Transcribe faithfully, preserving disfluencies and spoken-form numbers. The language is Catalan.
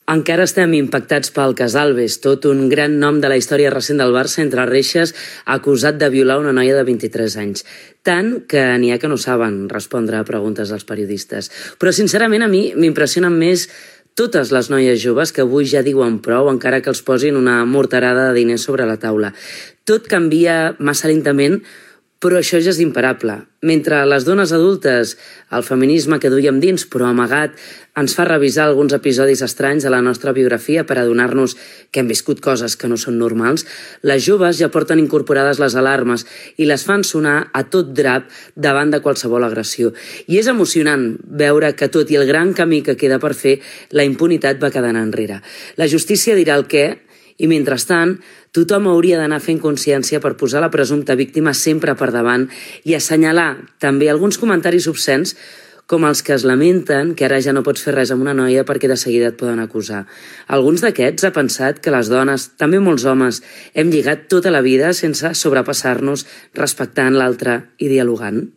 Encara estem impactats pel cas Alves, tot un gran nom de la història recent del Barça entre reixes, acusat de violar una noia de vint-i-tres anys. Tant que n'hi ha que no saben respondre a preguntes dels periodistes. Però sincerament a mi m'impressionen més totes les noies joves que avui ja diuen prou encara que els posin una morterada de diners sobre la taula. Tot canvia massa lentament, però això ja és imparable. Mentre les dones adultes, el feminisme que duiem dins, però amagat, ens fa revisar alguns episodis estranys de la nostra biografia per adonar-nos que hem viscut coses que no són normals, les joves ja porten incorporades les alarmes i les fan sonar a tot drap davant de qualsevol agressió. I és emocionant veure que, tot i el gran camí que queda per fer, la impunitat va quedant enrere. La justícia dirà el què, i mentrestant, tothom hauria d'anar fent consciència per posar la presumpta víctima sempre per davant i assenyalar també alguns comentaris obscens com els que es lamenten que ara ja no pots fer res amb una noia perquè de seguida et poden acusar. Alguns d'aquests ha pensat que les dones, també molts homes, hem lligat tota la vida sense sobrepassar-nos, respectant l'altre i dialogant.